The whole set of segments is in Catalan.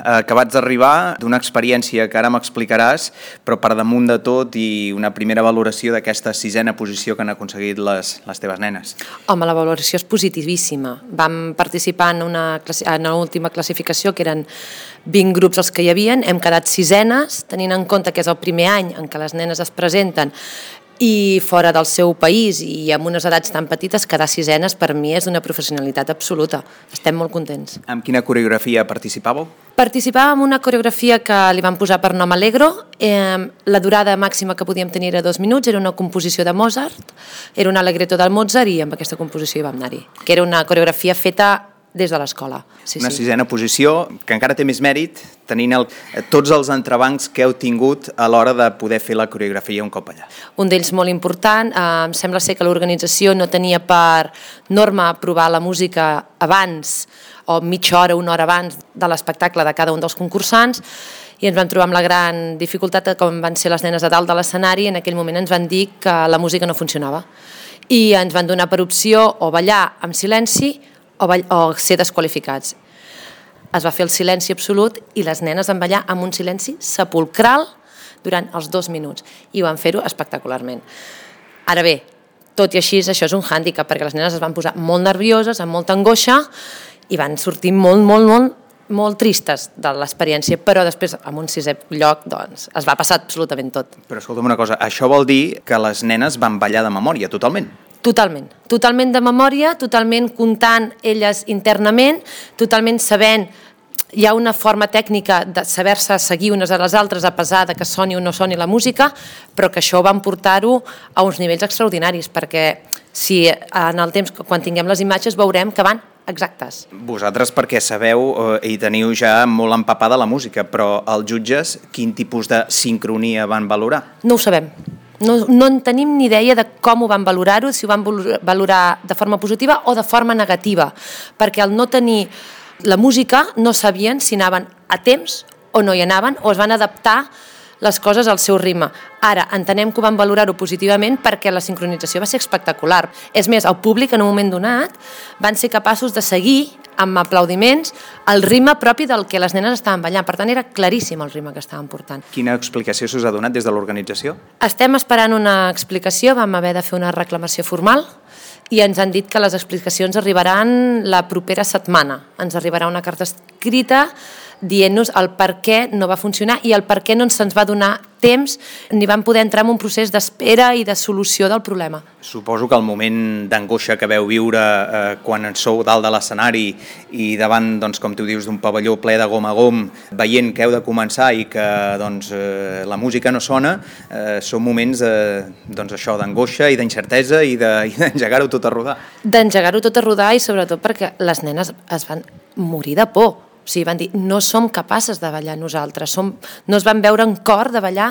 acabats d'arribar d'una experiència que ara m'explicaràs, però per damunt de tot i una primera valoració d'aquesta 6ª posició que han aconseguit les teves nenes. Home, la valoració és positivíssima. Vam participar en l'última classificació, que eren 20 grups els que hi havia, hem quedat 6enes, tenint en compte que és el primer any en què les nenes es presenten i fora del seu país i amb unes edats tan petites, quedar 6enes per mi és d'una professionalitat absoluta. Estem molt contents. Amb quina coreografia participàveu? Participàvem en una coreografia que li vam posar per nom Allegro. La durada màxima que podíem tenir era 2 minuts, era una composició de Mozart, era un allegretto del Mozart i amb aquesta composició hi vam anar-hi, que era una coreografia feta des de l'escola. Una 6ª posició que encara té més mèrit tenint tots els entrebancs que heu tingut a l'hora de poder fer la coreografia un cop allà. Un d'ells molt important, em sembla ser que l'organització no tenia per norma aprovar la música abans o mitja hora, una hora abans de l'espectacle de cada un dels concursants i ens vam trobar amb la gran dificultat que com van ser les nenes a dalt de l'escenari, en aquell moment ens van dir que la música no funcionava i ens van donar per opció o ballar amb silenci o ser desqualificats. Es va fer el silenci absolut i les nenes van ballar amb un silenci sepulcral durant els 2 minuts i ho van fer-ho espectacularment. Ara bé, tot i així, això és un hàndicap perquè les nenes es van posar molt nervioses, amb molta angoixa i van sortir molt tristes de l'experiència, però després, en un 6è lloc, doncs, es va passar absolutament tot. Però escolta'm una cosa, això vol dir que les nenes van ballar de memòria, totalment? Totalment de memòria, totalment comptant elles internament, totalment sabent, hi ha una forma tècnica de saber-se seguir unes a les altres a pesar de que soni o no soni la música, però que això van portar-ho a uns nivells extraordinaris, perquè si en el temps, quan tinguem les imatges, veurem que van exactes. Vosaltres perquè sabeu i teniu ja molt empapada la música, però els jutges quin tipus de sincronia van valorar? No ho sabem. No en tenim ni idea de com ho van valorar-ho, si ho van valorar de forma positiva o de forma negativa, perquè al no tenir la música no sabien si anaven a temps o no hi anaven o es van adaptar les coses al seu ritme. Ara, entenem que ho van valorar-ho positivament perquè la sincronització va ser espectacular. És més, el públic en un moment donat van ser capaços de seguir amb aplaudiments el ritme propi del que les nenes estaven ballant. Per tant, era claríssim el ritme que estaven portant. Quina explicació s'us ha donat des de l'organització? Estem esperant una explicació, vam haver de fer una reclamació formal i ens han dit que les explicacions arribaran la propera setmana. Ens arribarà una carta escrita dient-nos el per què no va funcionar i el per què no se'ns va donar temps ni vam poder entrar en un procés d'espera i de solució del problema. Suposo que el moment d'angoixa que veu viure quan sou dalt de l'escenari i davant, doncs, com tu dius, d'un pavelló ple de gom a gom, veient que heu de començar i que la música no sona, són moments d'angoixa i d'incertesa i d'engegar-ho tot a rodar. D'engegar-ho tot a rodar i sobretot perquè les nenes es van morir de por. O sigui, van dir, no som capaces de ballar nosaltres, no es van veure en cor de ballar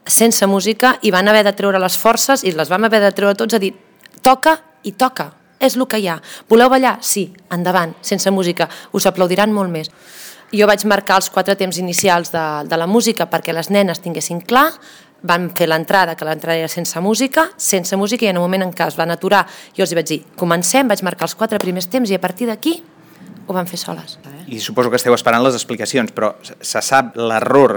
sense música i van haver de treure les forces i les vam haver de treure tots a dir, toca i toca, és el que hi ha. Voleu ballar? Sí, endavant, sense música, us aplaudiran molt més. Jo vaig marcar els 4 temps inicials de la música perquè les nenes tinguessin clar, van fer l'entrada, que l'entrada era sense música i en un moment en què es van aturar jo els vaig dir, comencem, vaig marcar els 4 primers temps i a partir d'aquí ho van fer soles. I suposo que esteu esperant les explicacions, però se sap l'error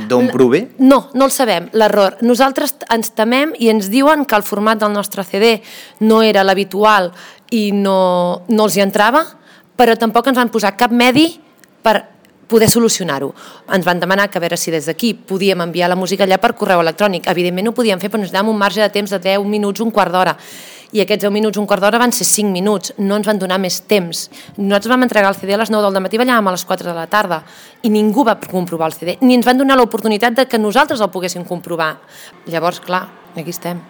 d'on prové? No el sabem, l'error. Nosaltres ens temem i ens diuen que el format del nostre CD no era l'habitual i no els hi entrava, però tampoc ens van posar cap medi per poder solucionar-ho. Ens van demanar que a veure si des d'aquí podíem enviar la música allà per correu electrònic. Evidentment ho podíem fer, però ens donàvem un marge de temps de 10 minuts, un quart d'hora. I aquests 10 minuts, un quart d'hora van ser 5 minuts. No ens van donar més temps. Nosaltres vam entregar el CD a les 9 del matí, ballàvem a les 4 de la tarda i ningú va comprovar el CD, ni ens van donar l'oportunitat de que nosaltres el poguéssim comprovar. Llavors, clar, aquí estem.